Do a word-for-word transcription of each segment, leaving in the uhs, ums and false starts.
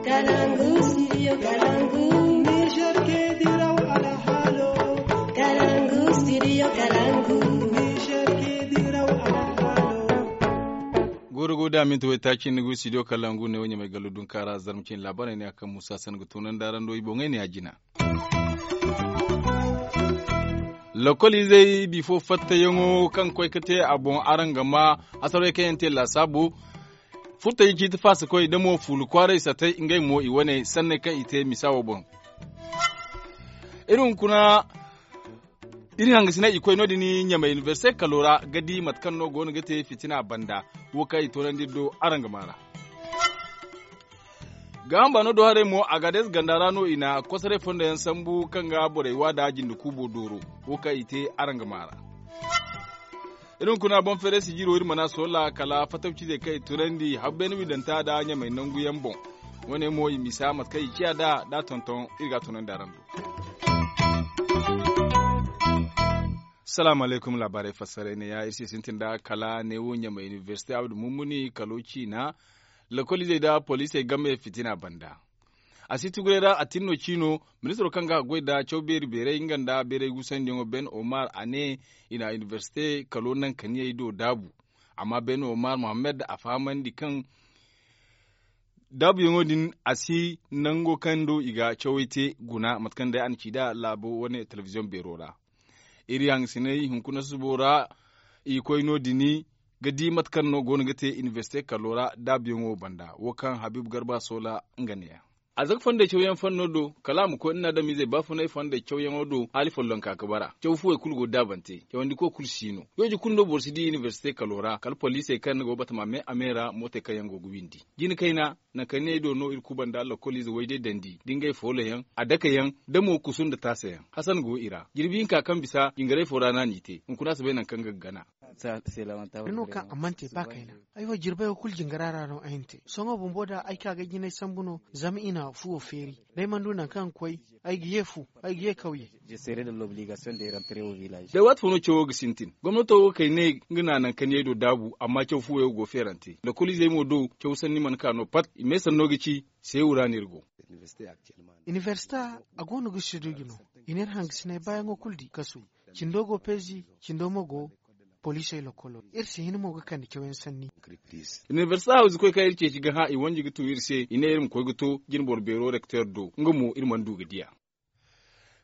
Kalangu, studio Kalangu. Niger ke diraw alhaalo. Kalangu, studio Kalangu. Niger ke diraw alhaalo. Gooro go da minti waytaaci ni go studio Kalangu ne wo ɲamay gallo dunkaara zarma cine laabaarey ne a kaŋ muusa san ga tunandi araŋ do i boŋey ne a jina. Lokol izey bifo fattayaŋo kaŋ koy ga te a boŋ araŋ ga ma hasarey kaŋ yaŋ te laasaabu. Furtaji ciiti faasa koy da mo fuulu kwaaray satay ngey mo i wane sanney kaŋ i te misa wo boŋ. Iri hunkuna iri hangasinay i koy no- din ɲamay inibersite kalo ra ga di mate kaŋ no go no ga te fitina banda. Wo kaŋ i toonandi iri do araŋ ga maara. Gaaham baano do haray mo a ga day ganda ra no i na kosoray fondo yaŋ sambu kaŋ ga borey wa da jinde kuubo dooro. Wo kaŋ i te araŋ ga maara. Iri hunkuna boŋ feeray sijiro iri mana soola kala fatawcizey kaŋ i tunandi habbeene wiidanta da ɲamay nangu yaŋ boŋ. Wo- ne mo i misa mate kaŋ i ciya nd'a da tonton iri ga a tunandi araŋ do. Salaamu alaykum laabaarey fassaray ne ya iri se sintin da kala ne wo ɲamay inibersite abdu mummuni kalo ciina. Lokol izey nda poliisey game fitina banda. A si tuguray ra a tin no ciino. Ministiro kaŋ ga a goy nda caw beeri beeray nga nda beeray guusandiyaŋo ben omar a ne i na inibersite kalo naŋ kaniyey do daabu. Amma ben omar mohammed a fahamandi kaŋ daabuyaŋo din a si nango kaŋ do i ga cawey te guna mate kaŋ day a na ci nd'a laabo wane telebiziyoŋ beero ra. Iri hangasinay hunkuna susubo ra i koy no- din ga di mate kaŋ no go no ga te inibersite kalo ra daabuyaŋo banda wo kaŋ habiibu garba soola nga ne- ya. A zaka fondey cawyaŋ fanno do kala a ma koy nda ni adamizey baafunay fondey cawyaŋo do haali follonka ga bara caw fuwey kulu go daabante cawandiko kulu si no. Yooje kulu no boro si di inibersite kalo ra kala poliisey kaŋ ni go batama me a me ra mootey kaŋ yaŋ go ga windi jina kayna. Naŋ kaŋ ne ay do no iri kuba nda lokoliize wayday dandi da ngey foolo yaŋ a dake yaŋ da mo kusu nda taasa yaŋ hasan go i ra jirbi hinka kaŋ bisa jingaray fo ra no a n'i te hunkuna si bay naŋ kaŋ ga gana. Ni no kaŋ a mana te ba kayna. Ay wo jirbey wo kulu jingara ra no ay na te sohõ bumbo da ay ka ga jinay sambu no zama i na fuwo feeri. Day mana du naŋ kaŋ ga koy ay ga ye fu ay ga ye kawye. Day waati fo no cawo ga sintin gomnato wo kay ne nga na naŋ kaŋ yay do daabu amma caw fuwo yaŋ go feerante lokoliizey mo do caw sanni mana ka no pat i me sanno ga ci. Seewu ra no iri go. Inibersita a go no ga siduji no i na iri hangasinay baayaŋo kulu di kasu. Cindo go peezi cindo mo go poliisey lokolo iri si hin mo ga kande cawyaŋ sanni. Inibersita hawzu koy kaŋ iri ceeci ga hã i wanji ga tu iri se i ne iri ma koy ga to jinboro beero rekteer do nga mo iri mana du ga diya.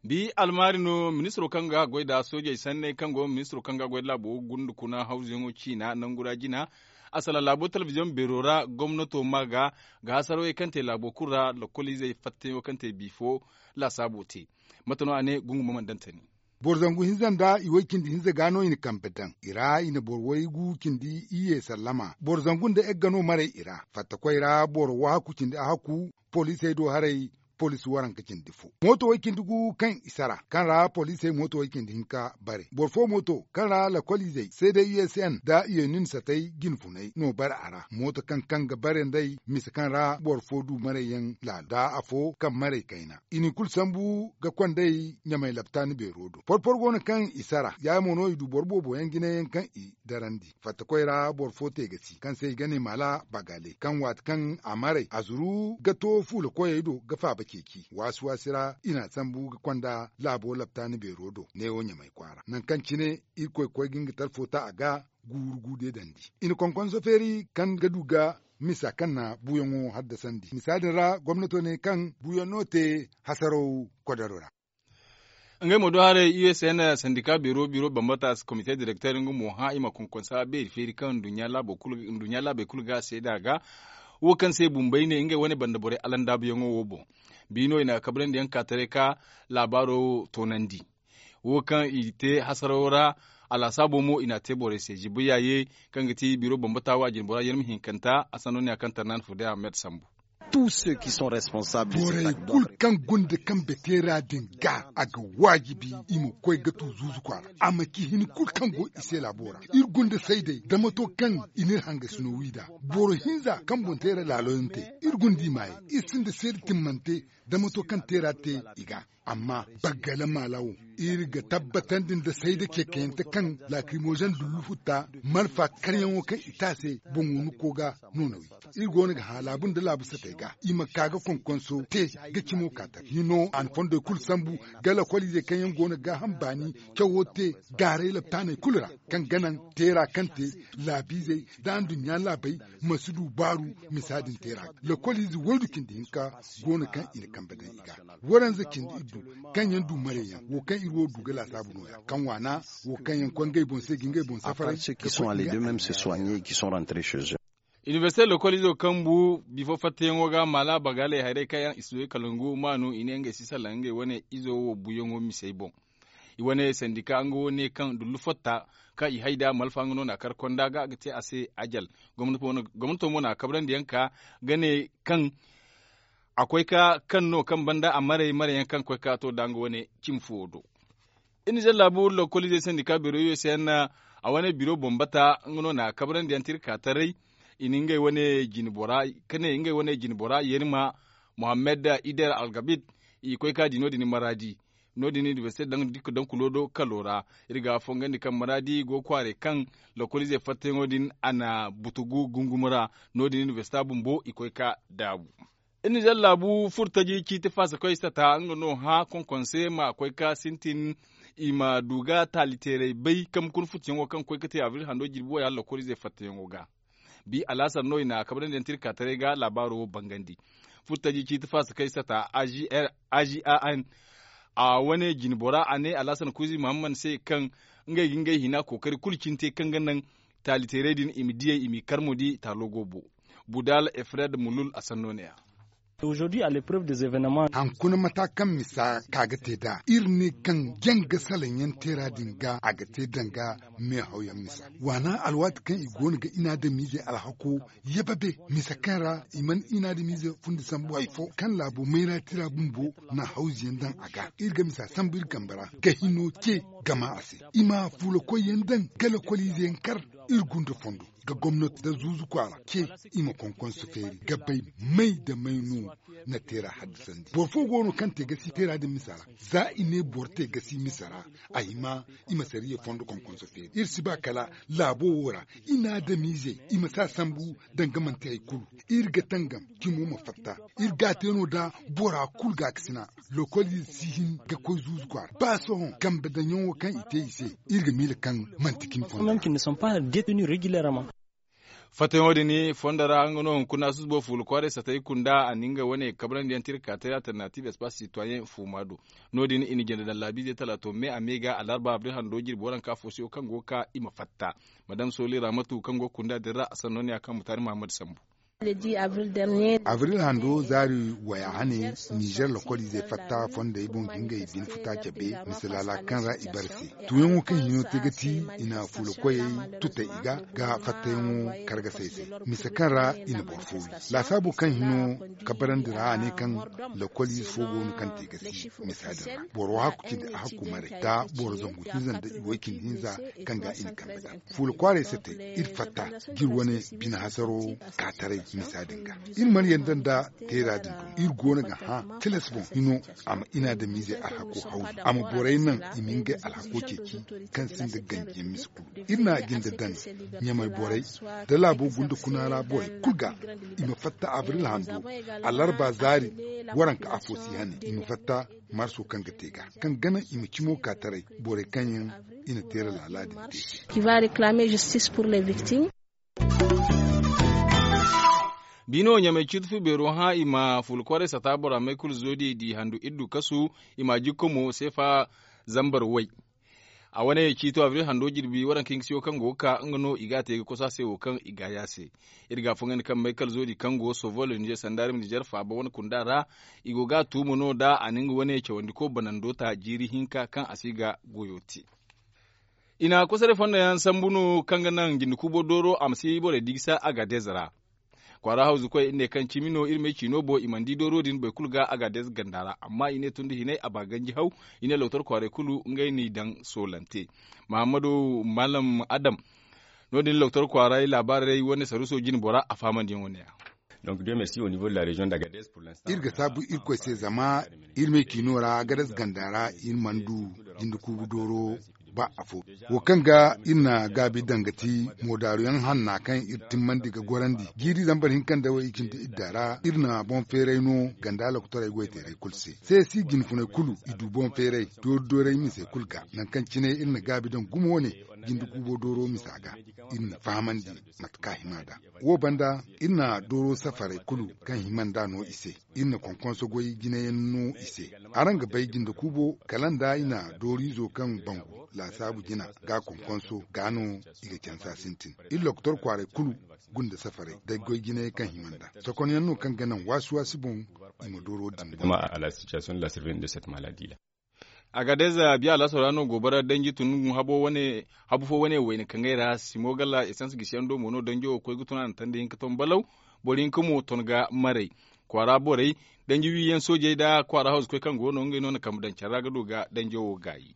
Bi almaari no ministiro kaŋ ga goy nda soojey sanney kaŋ go ministiro kaŋ ga goy nda laabo gunda kuna hawzuyaŋo ciina nangu ra jina. A salaŋ laabo telebiziyoŋ beero ra gomnato ma ga ga hasarawey kaŋ te laabo kulu ra lokoliizey fattayaŋo kaŋ te bifo laasaabo te. Mate no a ne gungu ma mana daŋ tani. Boro zangu hinza nda i way cindi hinza ga no i na kambe daŋ i ra i na boro waygu cindi iyye sallama boro zangu nda egga no maray i ra fattakoy ra boro wahaku cindi ahaku poliisey do haray. Poliisi waranka cindi fo mooto way cindi gu kaŋ i sara kaŋ ra poliisey mooto way cindi hinka bare boro fo mooto kaŋ ra lakoliizey seede usn nda iyenin satay jinfunay no bare a ra mooto kaŋ kaŋ ga bare nd'ey misa kaŋ ra boro fo du marayyaŋ laalo nda afo kaŋ maray kayna i n'i kulu sambu ga kond'ey ɲamay laptaani beero do porpor go no kaŋ i sara ya mo no i du boro boobo yaŋ jinayaŋ kaŋ i darandi fattakoy ra boro fo te ga si kaŋ se i ga ne maala bagale kaŋ waati kaŋ a maray a zuru ga to fuula koyey do ga faaba ceeci waasi waasi ra i n'a sambu ga konda laabo laptaani beero do neewo ɲamay kwaara nangu kaŋ cine irkoy koy ga nga talfo ta a ga guuru guude dandi i na konkonso feeri kaŋ ga du ga misa kaŋ na buuyaŋo haddasandi misa din ra gomnato ne kaŋ buuyaŋ no te hasaraw kodaro ra. Ngey mo do haray usn sandika biro biro bambata komite direkter nga mo hã i ma konkonsa beeri feeri kaŋ nduɲɲa laabey kulu ga a seeda ga wo kaŋ se bumbey ne ngey wane banda borey alandaabuyaŋo wo boŋ. Bi no i na kabrandi yaŋ ka taray ka laabaaro toonandi. Wo kaŋ i te hasarawo ra a laasaabo mo i n'a te borey se ziba yaaye kaŋ ga ti biro bambata wo a jinbora yerma hinkanta a sanno ne a kaŋ tarnaani fo day ahmed sambu. Borey kulu kaŋ gonda kambe teera din ga a ga waajibi i ma koy ga tu zuuzu kwaara a ma ci hin kulu kaŋ go i se laabo ra iri gonda saydey da mato kaŋ i n'iri hangasino wi nd'a. Boro hinza kaŋ boŋ teera laaloyaŋ te iri gonda i maayey iri sinda seeda timmante da mato kaŋ teera te i ga. Amma baggala maala wo, iri ga tabbatandi nda sayda ceekayante kaŋ laakirimozen dullu futta, malfa karyaŋo kaŋ i te a se boŋ wunu ko ga no na wi. Iri go no ga hã laabu nda laabu satey ga i ma ka ga konkonso te ga cimo ka taray hino a na fondey kulu sambu ga lakwaliizey kaŋ yaŋ go no ga gaaham baani cawo te gaaray laptaaney kulu ra, kaŋ ga naŋ teera kaŋ te laabiizey nda anduɲɲa laabey ma si du baaru. Misa din teera ga lakwaliize waydu cindi hinka go no kaŋ i na kambe daŋ i ga. Waranza cindi iddu kaŋ yaŋ du mareyaŋ wo kaŋ iri wo du ga laasaabu no- ya kaŋ waana wo kaŋ yaŋ koy ngey boŋ se ga ngey boŋ safara. Inibersite lokolizo kaŋ bu bifo fattayaŋo ga maala bagaaley haray kaŋ yaŋ i si du i kalangu maanu i ne ngey si salaŋ ngey wane izo wo buyaŋo misey boŋ. I wane sandika nga wo ne kaŋ dullu fatta kaŋ i hay nd'a malfa nga no na a kar konda ga ga te a se ajal. Gomnato mo na a kabrandi yaŋ ka ga ne kaŋ a koy ka kaŋ no kaŋ banda a maray maray yaŋ kaŋ koy ka to nda nga wane cimi fuwo do. Iri na zallaabu lokoliizey sandika beero yo se yaŋ na a wane biro boŋ bata nga no na a kabrandi yaŋ te iri ka taray. I na ngey wane jine bora ka ne ngey wane jine bora yerima muhammad ider algabit. I koy ka di no- din maraadi no- din inibersite daŋ kulo do kalo ra. Iri ga a fongandi kaŋ maraadi go kwaarey kaŋ lokoliizey fattayaŋo din a na butugu gungumo ra. No- din inibersita bumbo i koy ka daabu. Iri na zallaabu furtaji ciiti faasa koy sata nga no hã konkonse ma koy ka sintin i ma du ga taali teeray bay kambe kuna futuyaŋo kaŋ koy ga te abril hando jirbi wo ya lakkoliizey fattayaŋo ga. Bi alaasar no i na a kabrandi yaŋ te iri ka taray ga laabaaro wo bangandi. Furtaji ciiti faasa kay sata a g a n a wane jine bora a ne alaasar kuuzi muhammad se kaŋ ngey ga ngey hina kookari kulu cine te kaŋ ga naŋ taali teeray din i ma diyey i m'i kar mo di taalo go bo. Budal efred mulul a sanno ne- ya. Hankuna mata kaŋ misa ka ga te nd'a iri ne kaŋ jaŋ ga salaŋ yaŋ teera din ga a ga te danga meehawyaŋ misa waana alwaati kaŋ i go no ga inaadamiizey alhako yababe misa kaŋ ra i mana inaadamiize fundi sambu hari fo kaŋ laabo mayra tira bumbo na hawzu yaŋ daŋ a ga iri ga misa sambu iri kambe ra ga hino ce gama a se i ma fuula koy yaŋ daŋ ga lakwaliize yaŋ kar iri gunda fondo ga gomnati nda zuuzu kwaara ce i ma konkonso feeri ga bay may nda may no na teera haddasandi boro fo go no kaŋ te gasi teera din misa ra za i ne boro te gasi misa ra a hima i ma sariya fondo konkonso feeri iri si ba kala laabo wo ra inaadamiizey i ma si a sambu danga manti hari kulu iri ga tangam cimo ma fatta iri ga a te no nda bora kulu gaakasina lokoliize si hin ga koy zuuzu kwaara ba sohõ kambe daŋyaŋo kaŋ i te i se iri ga miila kaŋ manti cimi fondo ra. Fattayaŋo din fondo ra nga no hunkuna susubo fuula kwaaray satay kunda a na nga wane kabrandi yaŋ te iri ga ka te alternatiiv espace sitoyen fuuma do. No- din i na jinde daŋ laabiizey talaato me a me ga alarba abril hando jirbi waranka fo se wo kaŋ go ga ka i ma fatta madam soli ramatu kaŋ go ga kunda din ra a sanno ne ya kaŋ mutaari mahammad sambu. Abril hando zaari waya hane nizer lokoliizey fatta fondey boŋ ga ngey bine futa cabe mise laala kaŋ ra i bare se tuuyaŋo kaŋ hino te ga ti i na fuula koyey tuta i ga ga fattayaŋo kargasey se mise kaŋ ra i na boro fo wi laasaabo kaŋ hino kabarandi ra a ne kaŋ lokoliize fo go no kaŋ te ga si misa din ra boro hakku cindi a hakku maray nda boro zangu hinza nda i way cindi hinza kaŋ ga i na kambe daŋ fuula kwaaray se te iri fatta ga iri wane bine hasaro ka taray misa din ga iri mana yanda nda teera din dumi iri go no ga hã tilas boŋ hino a ma inaadamiizey alhako hawzu a ma borey naŋ i ma ngey alhako ceeci kaŋ sinda ganjiyaŋ mise kulu iri na a jinde daŋ ɲamay borey nda laabo gunda kuna ra borey kulu ga i ma fatta abril hando alarba zaari waranka afo si hane i ma fatta marso kaŋ ga te ga kaŋ ga naŋ i ma cimo ka taray borey kaŋ yaŋ i na teera laala din te se. Biino ɲamay ciiti fu beero hã i ma fuula kwaaray sata bora may kulu zoodi di handu iddu kasu i ma a jikko mo seefa zambar way. A wane ciito abril hando jirbi waranka hinka se wo kaŋ go ga ka nga no i ga a te ga kosa se wo kaŋ i ga ya se. Iri ga a fongandi kaŋ may kala zoodi kaŋ go sovol nizer sandarim nizer faaba wane kunda ra i go ga a tuuma no nda a na nga wane cawandiko banando ta jiiri hinka kaŋ a si ga goyo te. I na kosaray fondo yaŋ sambu no kaŋ ga naŋ jinde kuubo dooro a ma si borey di ga sa agadez ra. Kwaara hawzu koy iri ne kaŋ cimi no iri ma ay ciino boŋ i mana di dooro din boro kulu ga agadez ganda ra amma i ne tun da hinay a ba ganji haw. I ne lootar kwaaray kulu ngey n'i daŋ soolante. Mahammadu malam adam. No- din lootar kwaaray laabaarey wane saruuso jine bora a fahamandiyaŋo ne- ya. Donc deux merci au niveau de la région d'Agadez. Iri ga saabu irkoy se zama iri me ciino ra gadas ganda ra iri mana du jinde kuubu dooro ba afo. Wo kaŋ ga iri na gaabi daŋ ga ti moodaaru yaŋ hanna kaŋ iri timmandi ga gorandi jiiri zambar hinka nda way i cindi idda ra iri na boŋ feeray no ganda lokotorey goyteerey kulu se. Se si jinfuney kulu i du boŋ feeray doori doorey misey kulu ga nangu kaŋ cine iri na gaabi daŋ gumo wane jinde kuubo dooro misa ga iri na fahamandi mate kaŋ a hima nd'a. Wo banda iri na dooro safarey kulu kaŋ hima nd'a no i se. Iri na konkonso goy jinayaŋ no i se. Araŋ ga bay jinde kuubo kala nda i na dooriizo kaŋ bangu laasaabu jina ga konkonso ga no i ga cansa sintin. Iri lokotor kwaaray kulu gunda safarey day goy jinayey kaŋ hima nd'a sokonyaŋ no kaŋ ga naŋ waasi waasi boŋ i ma dooro din boŋ. Agadez biya laso ra no goobara danji tun habu fo wane wayna kaŋ ay ra simo gala esans gisiyaŋ do mo no danjo wo koy ga tun a na tandi hinka ton balaw. Boro hinka mo ton ga maray kwaara borey danji wiyaŋ soojey nda kwaara hawzu koy kaŋ go no ngey no na kambe daŋ care ra ga du ga danjo wo gaayi.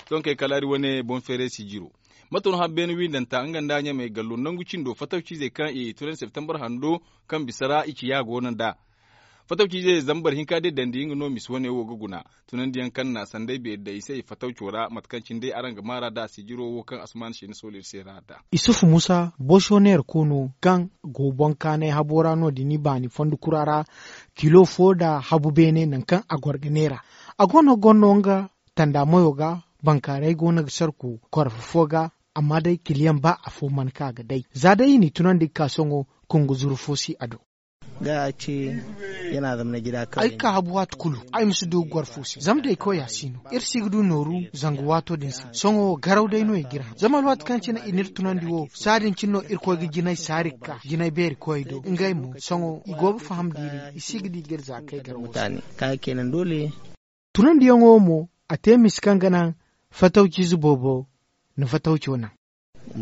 Sohõ kay kala iri wane boŋ feeray sijiro. Mate no hara beene windanta nga nda ɲamey gallo nangu cindo fatawciizey kaŋ i tunandi septembar hando kaŋ bisa ra i ciya go no nd'a. Fatawciizey zambar hinka day dandi nga no misi wane wo ga guna tunandiyaŋ kaŋ na sanday beeri day i se i fatawco ra mate kaŋ cine day araŋ ga maara nd'a sijiro wo kaŋ asuman seeni soolo iri se ra nd'a. Isufu musa boso neera koono kaŋ go boŋ kaanay habo ra no- din i baani fondo kura ra. Kilo fo nda habu beene nangu kaŋ a goro ga neera a go no ga goro no nga tanda mayo ga. Bankaaray go no ga sarku korfo fo ga. Amma day kiliyaŋ ba afo mana ka ga day za day i n'i tunandi ga ka sohõ. Kungu zuru fo si a do. Ay ga ka habu waati kulu ay ma si du ga goro fo se zama day koy a si no iri si ga du nooru. Zangu waato din se sohõ garaw day no i ga iri haŋ zama alwaati kaŋ cine i n'iri tunandi wo saa din cine no irkoy ga jinay saari ga ka jinay beeri koyey do ngey mo sohõ i go ga faham da iri i si ga di ga iri za ga kay garaw wo se. Tunandiyaŋo wo mo a te misi kaŋ ga naŋ fatawciize boobo na fatawco naŋ.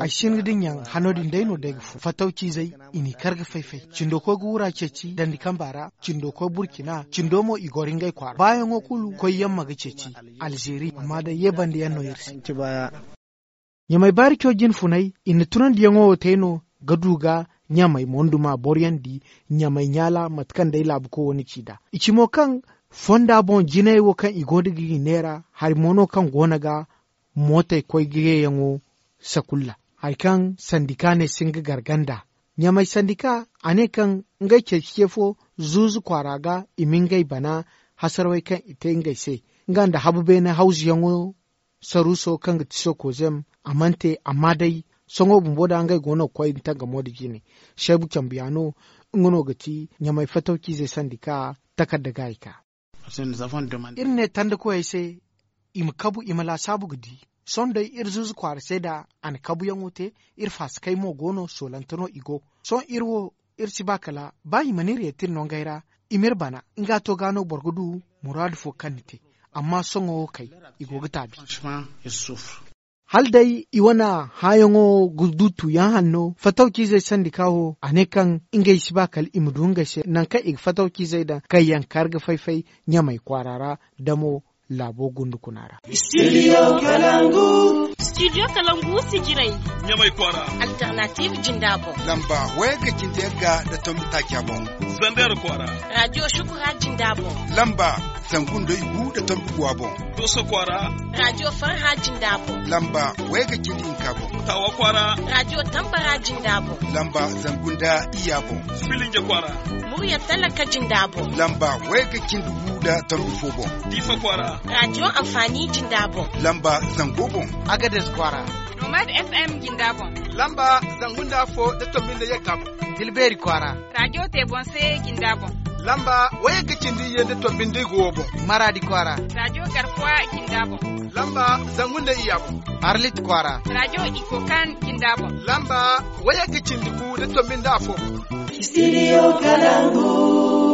Ay sinda din yaŋ hano din day no day ga furo fatawciizey i n'i kar ga fay-fay cindo koy ga wura ceeci dandi kamba ra cindo koy burcina cindo mo i goro ngey kwaara baayaŋo kulu koy yamma ga ceeci alzeeri amma day ye bande yaŋ no iri se. Ɲamay baari co jinfunay i na tunandiyaŋo wo te no ga du ga ɲamay monduma boroyaŋ di ɲamay ɲaala mate kaŋ day laabuko wo na ci nd'a i ci mo kaŋ fonda boŋ jinay wo kaŋ i go no ga i neera hari mo no kaŋ go no ga mootey koy ga yeeyaŋo sakulla hari kaŋ sandika ne si nga garganda ɲamay sandika a ne kaŋ ngey ceeci ce fo zuuzu kwaara ga i ma ngey bana hasarawey kaŋ i te ngey se nga nda habu beene hawzuyaŋo saruuso kaŋ ga ti sokozem a mana te amma day sohõ bumbo da ngey go no ga koy ga tangamo nda jine seebu cambuyaano nga no ga ti ɲamay fatawciizey sandika takarda gaayi ka. Iri ne tandikoyey se i ma kabu i ma laasaabu ga di sohõ day iri zuuzu kwaara se da a na kabuyaŋo te iri faasikey mo go no soolante no i go sohõ iri wo iri si ba kala ba i mana iri yeeti iri nongey ra i m'iri bana nga to ga no boro ga du muraadu fo kaŋ ni te amma sohõ wo kay i go ga taabi. Hala day i wane hããyaŋo ga du tuuyaŋ hanno fatawciizey sandika wo a ne kaŋ ngey si ba kala i ma du ngey se nangu kaŋ i ga fatawciizey daŋ kaŋ yaŋ kar ga fay-fay ɲamay kwaara ra damo laabo gundu kuna ra. Studio kalangu sijiray ɲamay kwaara. Alternative jinda boŋ lamba waya ga cindi yagga nda tombi taaca boŋ. Zander kwaara radio shukura jinda boŋ lamba zangu nda igu nda tombi guwa boŋ. Doso kwaara radio farha jinda boŋ lamba waya ga cindi hinka boŋ. Tawa kwaara radio tambara jinda boŋ lamba zangu nda iya boŋ. Filinje kwaara murya talaka jinda boŋ lamba waya ga cindi gu nda tombi fo boŋ. Diifa kwaara radio anfaani jinda boŋ lamba zango boŋ. Agades kwaara nomad fm jinda boŋ lamba zangu nda afo nda tombi nda yagga boŋ. Tilbeeri kwaara radio te boŋ se jinda boŋ lamba waya ga cindi ye nda tombi nda igu wo boŋ. Maraadi kwaara radio garkuwa jinda boŋ lamba zangu nda iya boŋ. Arlit kwaara radio ikokan jinda boŋ lamba waya ga cindi gu nda tombi nda afo boŋ. Studio kalangu.